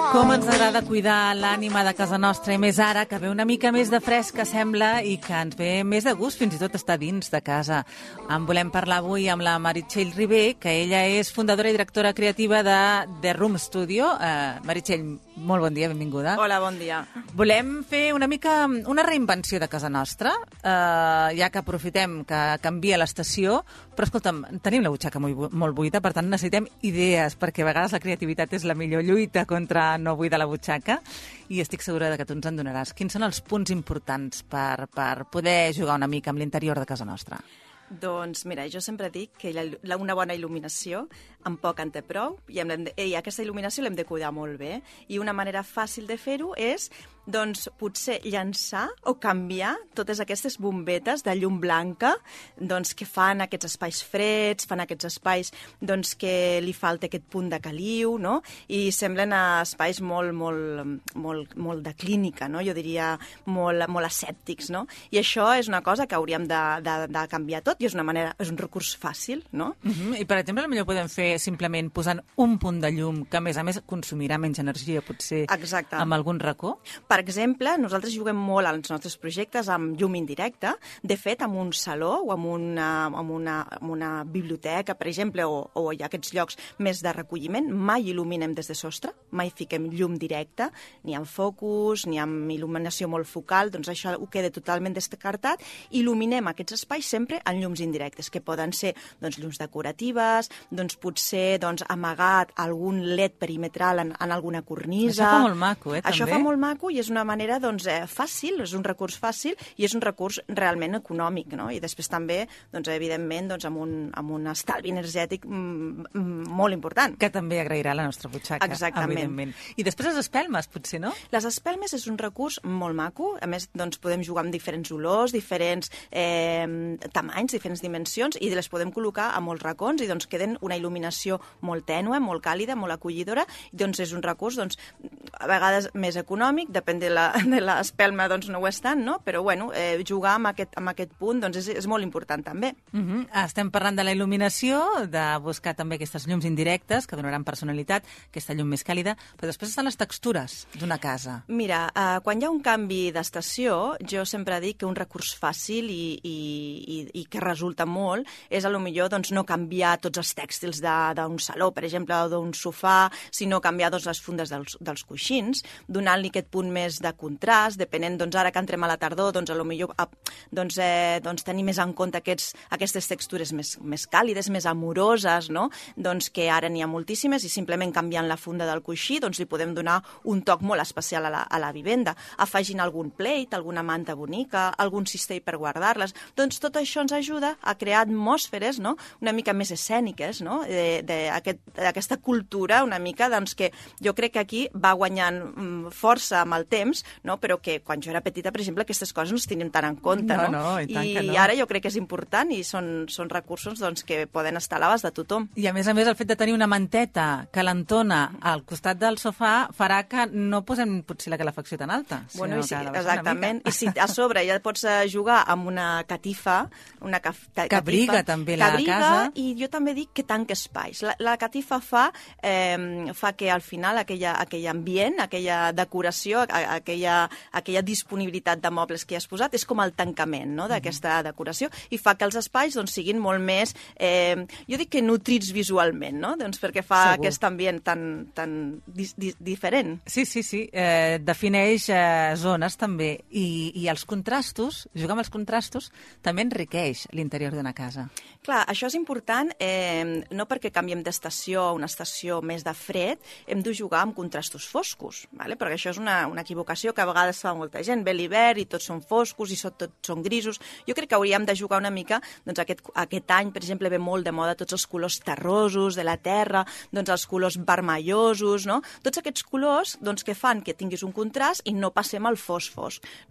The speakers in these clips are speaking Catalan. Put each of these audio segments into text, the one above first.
Com ens agrada cuidar l'ànima de casa nostra, i més ara, que ve una mica més de fresc, que sembla, i que ens ve més de gust, fins i tot estar dins de casa. En volem parlar avui amb la Meritxell Ribé, que ella és fundadora i directora creativa de The Room Studio. Meritxell, molt bon dia, benvinguda. Hola, bon dia. Volem fer una mica una reinvenció de casa nostra, ja que aprofitem que canvia l'estació, però escolta'm, tenim la butxaca molt buida, per tant necessitem idees, perquè a vegades la creativitat és la millor lluita contra no buidar la butxaca, i estic segura que tu ens en donaràs. Quins són els punts importants per poder jugar una mica amb l'interior de casa nostra? Doncs mira, jo sempre dic que una bona il·luminació amb poc en té prou, i aquesta il·luminació l'hem de cuidar molt bé, i una manera fàcil de fer-ho és doncs potser llançar o canviar totes aquestes bombetes de llum blanca doncs, que fan aquests espais freds, fan aquests espais doncs, que li falta aquest punt de caliu, no? I semblen espais molt de clínica, no? Jo diria molt asèptics, no? I això és una cosa que hauríem de canviar tot, i és un recurs fàcil, no? I per exemple, potser podem fer simplement posant un punt de llum que a més consumirà menys energia, potser. Exacte. Amb algun racó? Per exemple, nosaltres juguem molt als nostres projectes amb llum indirecta. De fet, en un saló o en una biblioteca, per exemple, o hi ha aquests llocs més de recolliment, mai il·luminem des de sostre, mai fiquem llum directa, ni amb focus, ni amb il·luminació molt focal, doncs això ho queda totalment descartat. Il·luminem aquests espais sempre en llums indirectes, que poden ser doncs, llums decoratives, doncs, potser amagat algun LED perimetral en alguna cornisa. Això fa molt maco, també. Això fa molt maco, i és una manera fàcil, és un recurs fàcil, i és un recurs realment econòmic, no? I després també, evidentment, amb un estalvi energètic molt important. Que també agrairà la nostra butxaca. Exactament. Evidentment. I després les espelmes, potser, no? Les espelmes és un recurs molt maco. A més, podem jugar amb diferents olors, diferents tamanys, diferents dimensions, i les podem col·locar a molts racons, i queden una il·luminació molt tènue, molt càlida, molt acollidora. És un recurs, a vegades més econòmic, depèn de l'espelma, no ho és tant, no? Però, jugar amb aquest punt és molt important, també. Estem parlant de la il·luminació, de buscar també aquestes llums indirectes, que donaran personalitat, aquesta llum més càlida, però després estan les textures d'una casa. Mira, quan hi ha un canvi d'estació, jo sempre dic que un recurs fàcil i que resulta molt és, millor, no canviar tots els tèxtils d'un saló, per exemple, o d'un sofà, sinó canviar les fundes dels coixins, donant-li aquest punt més de contrast, depenent, ara que entrem a la tardor, tenir més en compte aquestes textures més càlides, més amoroses, no? Que ara n'hi ha moltíssimes, i simplement canviant la funda del coixí li podem donar un toc molt especial a la vivenda, afegint algun plate, alguna manta bonica, algun cistell per guardar-les. Tot això ens ajuda a crear atmosferes, no? Una mica més escèniques, no? D'aquesta cultura una mica que jo crec que aquí va guanyant força amb el temps, no? Però que quan jo era petita, per exemple, aquestes coses no les tenim tan en compte, no? I ara jo crec que és important, i són recursos que poden estar a l'abast de tothom. I a més, el fet de tenir una manteta calentona al costat del sofà farà que no posem potser la calefacció tan alta. Exactament. I si a sobre ja pots jugar amb una catifa, que abriga també la casa. I jo també dic que tanca espais. La catifa fa que al final aquell ambient, aquella decoració, aquella disponibilitat de mobles que hi has posat, és com el tancament, no?, d'aquesta decoració, i fa que els espais siguin molt més, jo dic que nutrits visualment, no?, perquè fa aquest ambient tan diferent. Sí. Defineix zones també, i els contrastos, jugar amb els contrastos, també enriqueix l'interior d'una casa. Clar, això és important, no perquè canviem d'estació a una estació més de fred, hem de jugar amb contrastos foscos, perquè això és una equivocació que a vegades fa molta gent. Ve l'hivern i tots són foscos i tots són grisos. Jo crec que hauríem de jugar una mica, aquest any, per exemple, ve molt de moda tots els colors terrosos de la terra, els colors vermellosos, no? Tots aquests colors que fan que tinguis un contrast i no passem al fosc.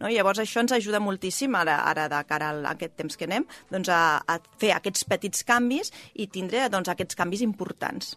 Llavors això ens ajuda moltíssim, ara de cara a aquest temps que anem, a fer aquests petits canvis i tindre aquests canvis importants.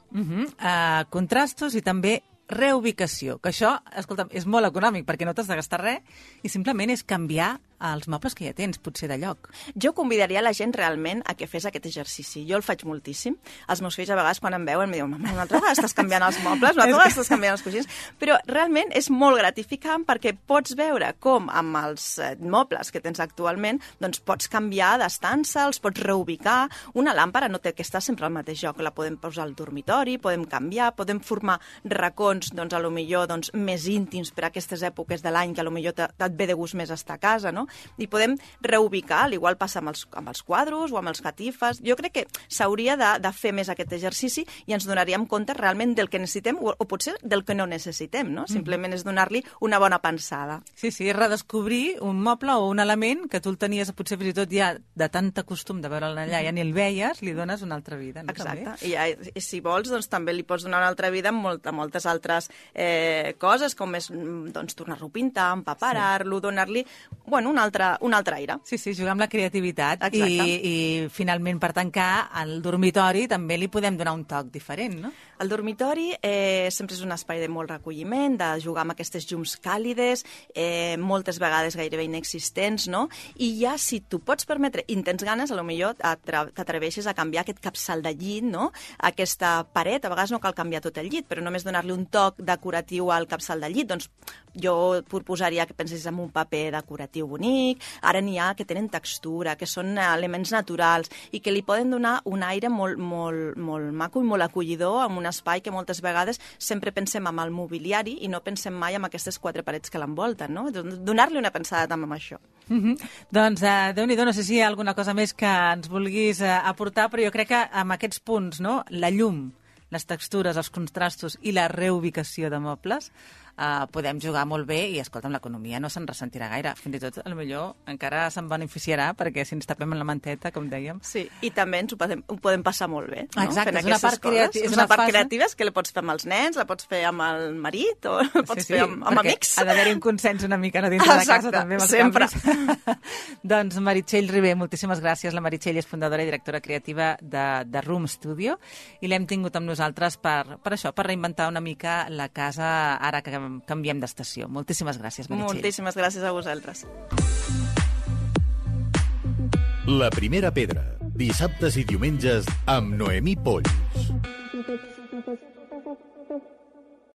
Contrastos i també reubicació, que això, escolta'm, és molt econòmic perquè no t'has de gastar res i simplement és canviar als mobles que ja tens, potser de lloc. Jo convidaria la gent realment a que fes aquest exercici. Jo el faig moltíssim. Els meus fills a vegades quan em veuen em diuen mama, una altra vegada estàs canviant els mobles, una altra vegada estàs canviant els coixins, però realment és molt gratificant perquè pots veure com amb els mobles que tens actualment doncs pots canviar d'estança, els pots reubicar. Una làmpara no té que estar sempre al mateix lloc, la podem posar al dormitori, podem canviar, podem formar racons, doncs, a lo millor doncs, més íntims per a aquestes èpoques de l'any que a lo millor et ve de gust més estar a casa, no? I podem reubicar, al igual passa amb els quadros o amb els catifes. Jo crec que s'hauria de fer més aquest exercici i ens donaríem compte realment del que necessitem o potser del que no necessitem, no? Simplement és donar-li una bona pensada. Sí, redescobrir un moble o un element que tu el tenies potser fins i tot ja de tanta costum de veure'l allà, ja ni el veies, li dones una altra vida. No? Exacte. I si vols, doncs també li pots donar una altra vida amb moltes altres coses, com és doncs, tornar-lo a pintar, empaparar-lo, donar-li un altre aire. Sí, jugar amb la creativitat. Exacte. I finalment, per tancar, al dormitori també li podem donar un toc diferent, no? El dormitori sempre és un espai de molt recolliment, de jugar amb aquestes llums càlides, moltes vegades gairebé inexistents, no? I ja, si tu pots permetre i tens ganes, potser t'atreveixes a canviar aquest capçal de llit, no? Aquesta paret, a vegades no cal canviar tot el llit, però només donar-li un toc decoratiu al capçal del llit, doncs jo proposaria que pensessis en un paper decoratiu bonic. Ara n'hi ha que tenen textura, que són elements naturals i que li poden donar un aire molt, molt, molt maco i molt acollidor en un espai que moltes vegades sempre pensem en el mobiliari i no pensem mai en aquestes 4 parets que l'envolten, no? Donar-li una pensada també amb això. Doncs, Déu-n'hi-do, no sé si hi ha alguna cosa més que ens vulguis aportar, però jo crec que amb aquests punts, no? La llum, les textures, els contrastos i la reubicació de mobles, podem jugar molt bé i, escolta'm, l'economia no se'n ressentirà gaire. Fins i tot, potser encara se'n beneficiarà perquè si ens tapem en la manteta, com dèiem. Sí, i també ens ho podem passar molt bé, no? Exacte, fent és una part creativa. És una part creativa que la pots fer amb els nens, la pots fer amb el marit o la pots fer amb amics. Ha d'haver-hi un consens una mica dintre de casa també amb els sempre. Doncs Meritxell Ribé, moltíssimes gràcies. La Meritxell és fundadora i directora creativa de Room Studio i l'hem tingut amb nosaltres per això, per reinventar una mica la casa ara que canviem d'estació. Moltíssimes gràcies, Meritxell. Moltíssimes gràcies a vosaltres. La primera pedra, dissabtes i diumenges amb Noemí Polls.